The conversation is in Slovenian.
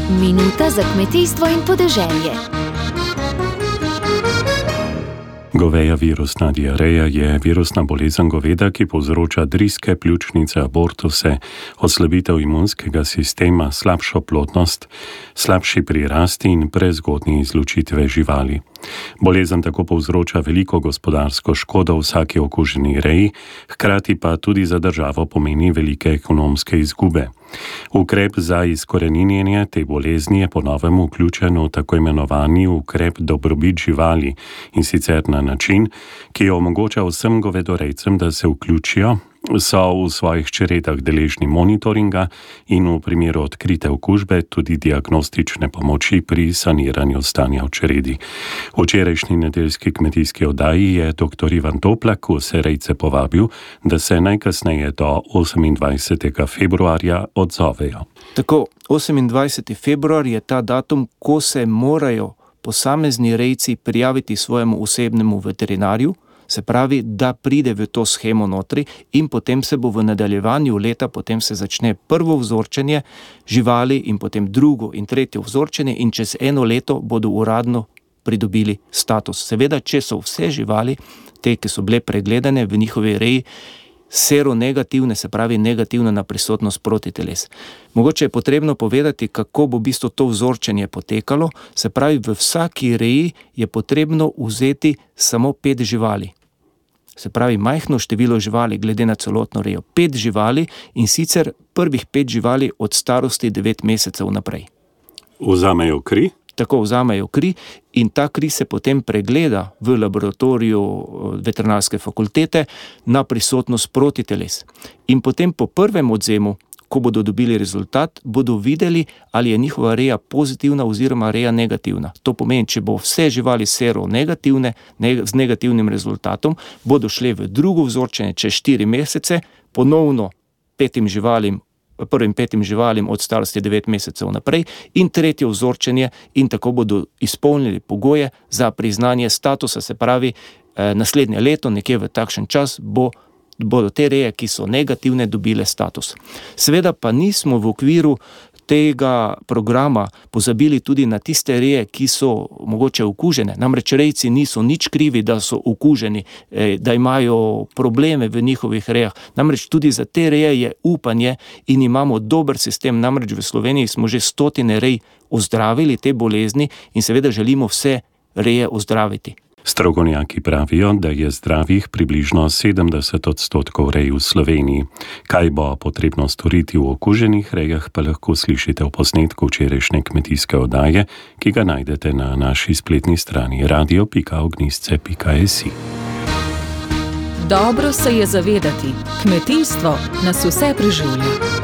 Minuta za kmetijstvo in podeželje. Goveja virusna diareja je virusna bolezen goveda, ki povzroča driske, pljučnice, abortuse, oslabitev imunskega sistema, slabšo plodnost, slabši prirasti in prezgodnje izločitve živali. Bolezen tako povzroča veliko gospodarsko škodo vsaki okuženi reji, hkrati pa tudi za državo pomeni velike ekonomske izgube. Ukrep za izkoreninjenje te bolezni je po novem vključen v tako imenovani ukrep dobrobit živali, in sicer na način, ki omogoča vsem govedorejcem, da se vključijo, so v svojih čredah deležni monitoringa in v primeru odkrite okužbe tudi diagnostične pomoči pri saniranju stanja v čredi. V včerajšnji nedeljski kmetijski oddaji je dr. Ivan Toplak vse rejce povabil, da se najkasneje do 28. februarja odzovejo. Tako, 28. februar je ta datum, ko se morajo posamezni rejci prijaviti svojemu osebnemu veterinarju, se pravi, da pride v to shemo notri in potem se bo v nadaljevanju leta, potem se začne prvo vzorčenje živali in potem drugo in tretje vzorčenje in čez eno leto bodo uradno pridobili status. Seveda, če so vse živali, te, ki so bile pregledane v njihovi reji, seronegativne, se pravi negativne na prisotnost protiteles. Mogoče je potrebno povedati, kako bo v bistvu to vzorčenje potekalo, se pravi, v vsaki reji je potrebno vzeti samo 5 živali. Se pravi, majhno število živali glede na celotno rejo. 5 živali in sicer prvih 5 živali od starosti 9 mesecev naprej. Vzamejo kri? Tako vzamejo kri in ta kri se potem pregleda v laboratoriju veterinarske fakultete na prisotnost protiteles. In potem po prvem odvzemu, ko bodo dobili rezultat, bodo videli, ali je njihova reja pozitivna oziroma reja negativna. To pomeni, če bo vse živali seronegativne, z negativnim rezultatom, bodo šle v drugo vzorčenje čez 4 mesece, ponovno prvim 5 živalim od starosti 9 mesecev naprej in tretje vzorčenje in tako bodo izpolnili pogoje za priznanje statusa, se pravi, naslednje leto, nekje v takšen čas, bodo te reje, ki so negativne, dobile status. Seveda pa nismo v okviru tega programa pozabili tudi na tiste reje, ki so mogoče okužene. Namreč rejci niso nič krivi, da so okuženi, da imajo probleme v njihovih rejah. Namreč tudi za te reje je upanje in imamo dober sistem. Namreč v Sloveniji smo že 100 rej ozdravili te bolezni in seveda želimo vse reje ozdraviti. Strokovnjaki pravijo, da je zdravih približno 70% rej v Sloveniji. Kaj bo potrebno storiti v okuženih rejah, pa lahko slišite v posnetku včerajšnje kmetijske oddaje, ki ga najdete na naši spletni strani radio.ognjisce.si. Dobro se je zavedati, kmetijstvo nas vse preživlja.